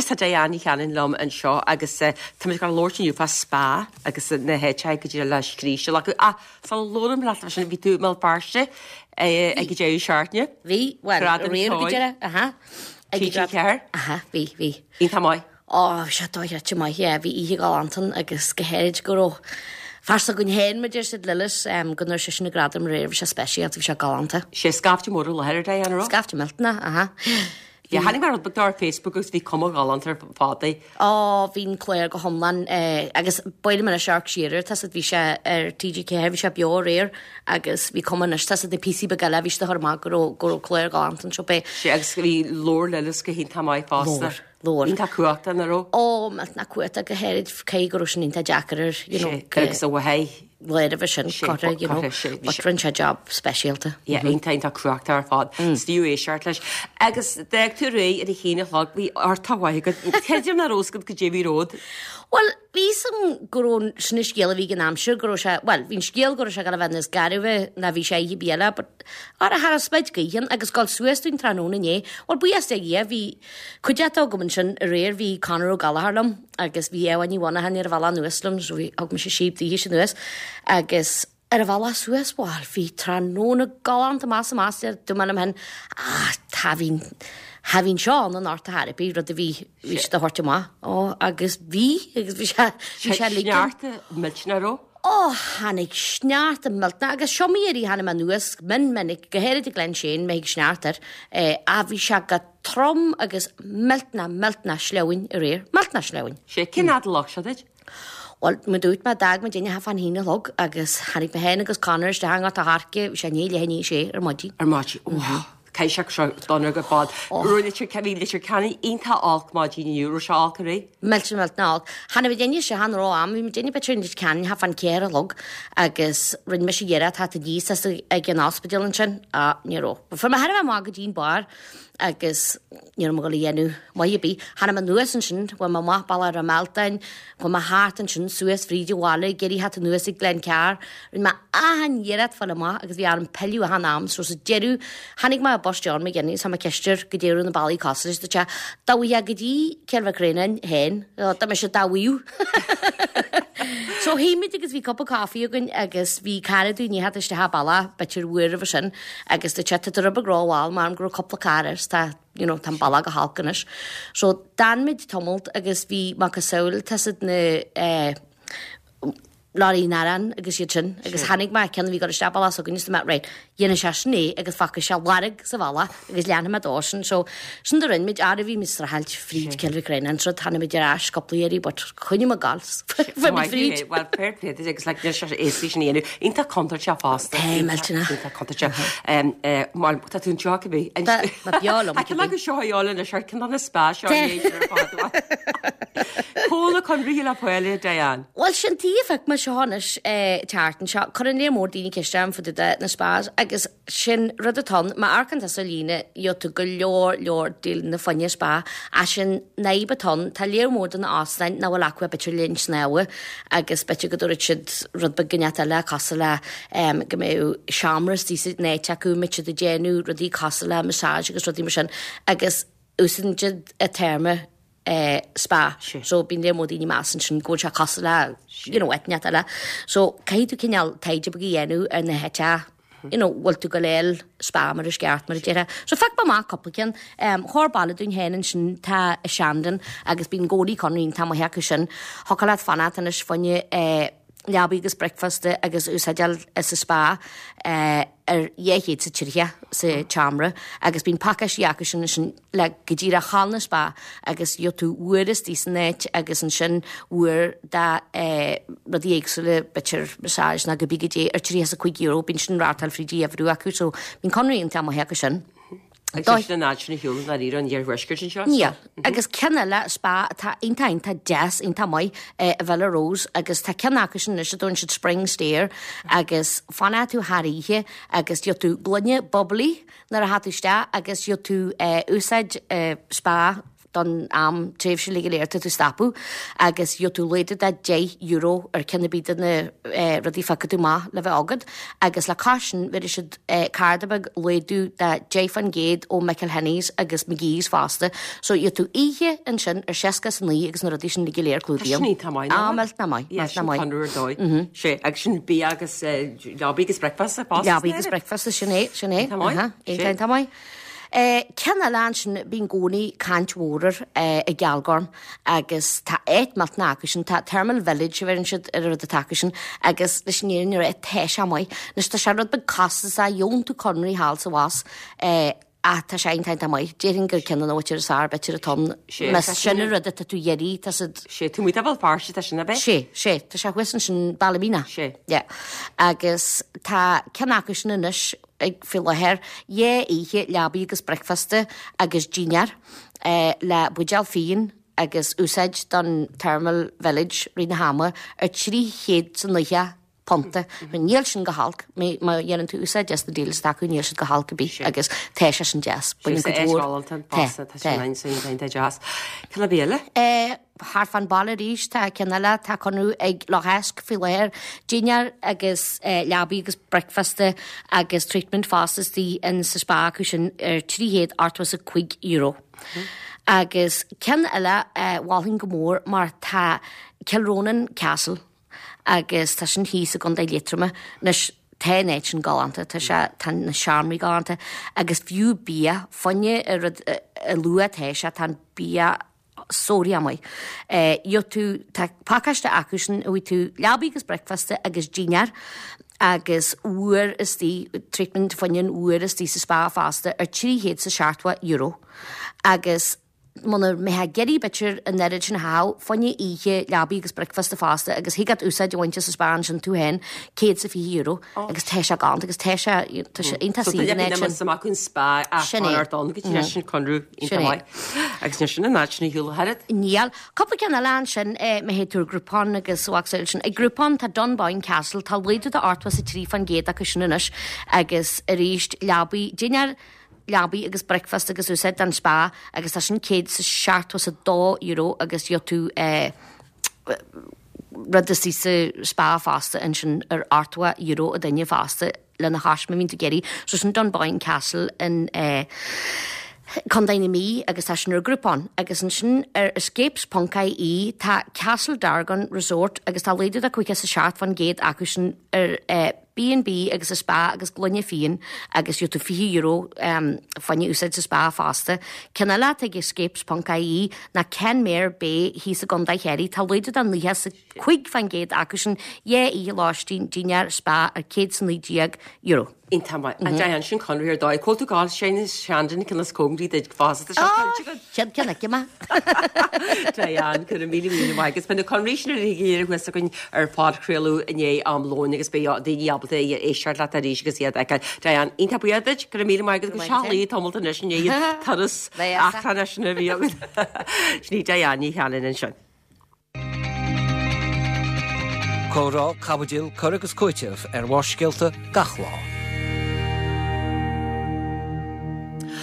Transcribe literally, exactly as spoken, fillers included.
Is tá Diane Ní Chanainn liom anseo agus uh, tá muid ag labhairt inniu fá spa agus na háiteacha go dtí le scríste acu ah sula labhraím leat sin bhí tú i mBéal Feirste ag an deireadh seachtaine. Bhí well Gradam aréir go ceoil. deireadh aha. Ag TG Ceathair? Aha, bhí bhí. Iontach maith. Ó, sé dochreidte maith é, bhí oíche galánta agus go háirid go raibh fear s'againn féin mar deir siad Lillis um, go ndúirt sé sin na gradam aréir bhí sé speisialta bhí sé galánta. Sé scaifte mór i láthair Diane ra? Scaifte millteanach, aha. Ja tháinig mar rud ar Facebook agus bhí cuma galánta ar fad. Ó bhí'n clár go hiomlán eh, agus baile mar a searc siar tá bhí sé ar TG ceathair bhí sé beo aréir agus bhí cuma anois tá na píosaí beaga eile bhí sé thar amach go raibh go raibh clár galánta anseo bé. Sé agus bhí leor Lillis go hiontach maith fosta. Leor, leor. Iontach cumhachtach na raibh. Ó na cuata go háirid cé go raibh sin iontach deacair ar you know, Sé agus a bhhaid. léir a bheith sin Sé, corra, you know, corra, sé, bhí but sé- rinne sé job speisialta. Ja, iontach iontach cumhachtach ar fad. Stíú é seart leis. Agus d'fhág tú réidh ar a haon a chlog bhí ortá go ceidir na róscad go dé bhí ród. Well, bhí san go raibh sin na scéal a bhí an aimsir go raibh sé well, bhí'n scéal go raibh sé gan a bheith níos gairbhe ná bhí sé ihe biile, but ara thar a spid gaoithe agus gáil suas dúinn tráthnóna inné. Well, buíochas le Dia bhí cuideachta agam ansin aréir bhí Conor Ó Gallchóir liom agus bhí Ewa Ní Mhonachan ar a bhealach anuas liom, so bhí thug mise síob daoithe sin anuas agus ar a bhealach suas bhal bhí tráthnóna galánta más amach du man hen ah tá bhín Ha bhín seo an an art therapy rud a bhí bhí sé a thabhairt amach ó agus bhí agus bhí sé bhí sé ligean. Sneachta millteanach raibh. Ó tháinig sneachta millteanach agus seo mé a tháinig anuas min minic go háirid i Glen Shane mé ag sneachtar eh, a bhí sé go trom agus millteanach millteanach sleamhain aréir millteanach sleamhain. Sé cén fhad a leag sé duit? Well mu dúirt me dag me duine ha fan hína log agus tháinig mé féin agus Conor isteach go harce bhí sé ní le sé ar maidin. Ar maidin. Cai se seo donar go fad. Ru Leitir bhí Leitir Ceanainn iontach olc maidin inniu raibh sé olc aréir. Millteanach millteanach. Channa bhí duine sé han rá am, bhí duine beidir Leitir Ceanainn ha fan céir a log agus rinne mise iarracht tá díos ag an ospidéal ansin a ní raibh. Fuair mé thar a bheith maith go dtí'n bar agus ní raibh mé ag dhéanamh maith ar bith. Tháinig mé anuas ansin, bhfuil mé maith baile ar Meltain, chuaigh mé thart ansin suas fríd an bhaile, géirí hat anuas ag Glencar, rinne mé achan iarracht fáil amach agus bhí orm pilleadh achan am, so sa deireadh tháinig mé bus John McGuinness tá mé ceistir go deireadh na bailí costas do te dá bhí go dtí Cill Mhic Réanáin féin, Tá mé se dá bhíú. So théimid agus bhí cupa caife againn agus bhí cara dúinn hat isteach balla b'fhéidir uair a sin agus de te rub gráháil mar go raibh cúpla carr tá you know, tá balla go holc anois. So d'fhan muid tamalt agus bhí macasamhail tá na eh, Láí narán agus iad sin agus tháinig mé ceann bhí go isteach balla so gus mé right dhéana sé sin é agus fágfaidh sé lorg sa bhalla agus leanfaidh mé dó sin so sin do rinne muid ara bhí mis ráilt fríd Cill Mhic Réanáin so tháinig muid ar ais cúpla iarraidh but choinnigh mé gal Bhí fríd. Well fair play agus like níl sé éasca sin a dhéanamh. Iontach contúirteach fosta. Tá, millteanach. Iontach contúirteach. Mar tá tú anseo go bí. Tá, ma beo liom Tá go seo dheola na sé cin na spa seo Cóla chun rí le poile Diane. Well sin tí feic me seánis teartan seo chur an léir mór daoine ceiste fu de na spas agus sin rud atá má amharcann tusa ar líne gheobhaidh tú go leor leor díol na fáinne spa a sin fadhb atá tá léir mór den óstáin nach bhfuil acu b'fhéidir linn snámha agus b'fhéidir go dúirt siad rud beag gneat eile cosúil le um, go mbeadh seomra istigh san áit acu mit siad ag déanamh rudaí cosúil le massage agus rudaí mar sin agus úsáideann siad an téarma eh, spa. Sí. So bíonn léir mór daoine measann sin go bhfuil sé cosúil le you know, eitneat eile. So caithfidh tú cineál taighde beag a dhéanamh ar na háiteacha you know, bhfuil tú go léil spa mar is ceart mar a déarfá. So phioc mé amach cúpla ceann um, chóir baile dúinn féin ansin tá i Shandon agus bíonn gólaí conrín tá heacu sin. Thiocfadh leat fanacht anois fáinne eh, leabaí agus breakfast agus úsáideáil sa spa eh, ar dhéchéad sa tríocha sa tseomra agus bíonn pacáistí acu sin sin le go díreach thall na spa agus gheobhaidh tú uair istigh san áit agus ansin uair da eh, rudaí éagsúla b'fhéidir massage ná go bí go dé ar trí a cuig euro bíonn sin rátáil fríd dheimhriú acu so bíonn conraí an t-am acu sin. Agus sin an áit sin a shiúl na ríar an iarthuaiscirt anseo. Níl. Agus ceann eile spa atá iontach iontach deas iontach maith eh, a Villa Rose agus tá ceann acu sin anois a dtugann siad Spring Stair agus fanfaidh tú thar oíche agus gheobhaidh tú gloine bubbly nuair a théann tú isteach agus gheobhaidh tú eh, úsáid eh, spa don am tréimhse uilig go léir tá tú stopadh agus gheobhaidh tú laghdú de deich euro ar ceann ar bith de na rudaí a phiocfaidh tú amach le bheith agat agus le cois sin bhéarfaidh siad cárta beag laghdú de deich faoin gcéad ó McElhenney's agus McGee's fosta so gheobhaidh tú oíche ansin ar seasca is a naoi agus na rudaí sin uilig go léir clúdaithe. Tá sin iontach maith, nach maith? Á, millteanach maith, millteanach maith. Sin conradh ar dóigh. Sé, agus sin bia agus leabaí agus bricfeasta fosta. Leabaí agus bricfeasta, sin é, sin é. Iontach maith. Iontach maith. Ceann eile ansin, bíonn i gcónaí caint mhór air i gCealgorm agus tá áit millteanach acu sin, tá Thermal Village a bheireann siad ar an rud atá acu sin agus leis an fhírinne a rá tá sé maith. Anois tá sé rud beag costasach, gheobhann tú conraí thall is abhus ach tá sé iontach iontach maith. Déarfainn gur ceann de na háiteanna is fearr b'fhéidir atá ann. Más sin an rud atá tú iarraidh, tá siad. Sé, taobh amuigh de Bhéal Feirste atá sin, ab é? Sé, sé, tá sé thuas ansin, Ballymena. Sé. Yeah. Agus tá ceann acu sin anois, ag faoi láthair, dhá oíche leabaí agus bricfeasta agus dinnéar le buidéal fíon agus úsáid don Thermal Village rith na hama ar trí chéad is nócha punta. Níl sin go holc, má dhéanann tú úsáid as na deals atá acu, níl siad go holc ar bith agus tá sé sin deas. Baineann cuid mhór. Tá, tá. Tá deas. Ceann ar bith eile? Thart fán baile arís, tá ceann eile, tá conradh ag Loch Eisc faoi láthair, dinnéar agus leabaí agus bricfeasta agus treatment fosta istigh in sa spa acu sin ar trí chéad ochtó is a cúig euro. Agus ceann eile a mholfainn go mór mar tá Kilronan Castle agus tá sin thíos i gContae Liatroma. Anois tá an áit sin galánta, tá sé, tá na seomraí galánta agus fiú bia, fá choinne an rud a luath atá sé, tá an bia sórt maith. Gheobhaidh tú, tá pacáiste acu sin, gheobhaidh tú leabaí agus bricfeasta agus dinnéar agus uair istigh, treatment fá choinne an uair istigh sa spa fosta ar trí chéad is a seachtó euro. Agus muna mbeifeá ag iarraidh b'fhéidir an oiread sin a chaitheamh, fá choinne oíche leabaí agus bricfeasta fosta agus thig leat úsáid a bhaint as an spa ansin tú féin, céad is a fiche euro agus tá sé galánta agus tá sé, tá sé iontach saoil an áit sin. So amach an spa ach Sin é. ar don go dtí sin conradh iontach maith. Agus níl sin an áit sin ar shiúl ach oiread. Níl. Cúpla ceann eile ansin, má théid tú ar Groupon agus a mhacasamhail sin. Ag Groupon tá Dunboyne Castle, tá laghdú de ochtó is a trí faoin gcéad acu sin anois agus arís leabaí, dinnéar, leabaí agus bricfeasta agus úsáid don spa agus tá sin céad is seachtó is a dó euro agus gheobhaidh tú rud istigh sa spa fosta ansin ar ochtó euro a duine fosta lena chois má bhíonn tú ag iarraidh. So sin Dunboyne Castle in Contae na Mí agus tá sin ar Groupon agus ansin ar escapes ponc ie tá Castle Dargan Resort agus tá laghdú de caoga is a seacht faoin gcéad acu sin ar B and B agus a spa agus gloine fíon agus gheobhaidh tú fiche euro fá choinne úsáid sa spa fosta. Ceann eile atá ag escapes ponc ie ná Kenmare Bay thíos i gContae Chiarraí. Tá laghdú de naocha is a cúig faoin gcéad acu sin, dhá oíche lóistín, dinnéar, spa ar céad is a naoi déag euro. Iontach maith. An dtéann sin conradh ar dóigh? Cá bhfuil tú ag gabháil Shane Shandon ceann is cóngaraí duit fosta. Tá sé caillte agat. Chéad ceann aici mé. Diane, go raibh míle míle maith agat. Beidh na conraí sin uilig go léir thuas againn ar phodchraoladh i ndiaidh am lóin agus beidh daoine ábalta éisteacht leat arís agus iad a fheiceáil. Diane, iontach buíoch duit, go raibh míle maith agat agus Go raibh maith seacht lá tamalt anois i ndiaidh an turas eachtrannach sin a bhí agat. Sin í Diane Ní Chanainn ansin. Comhrá, caibidil, cur agus cúiteamh ar Bharrscéalta gach lá.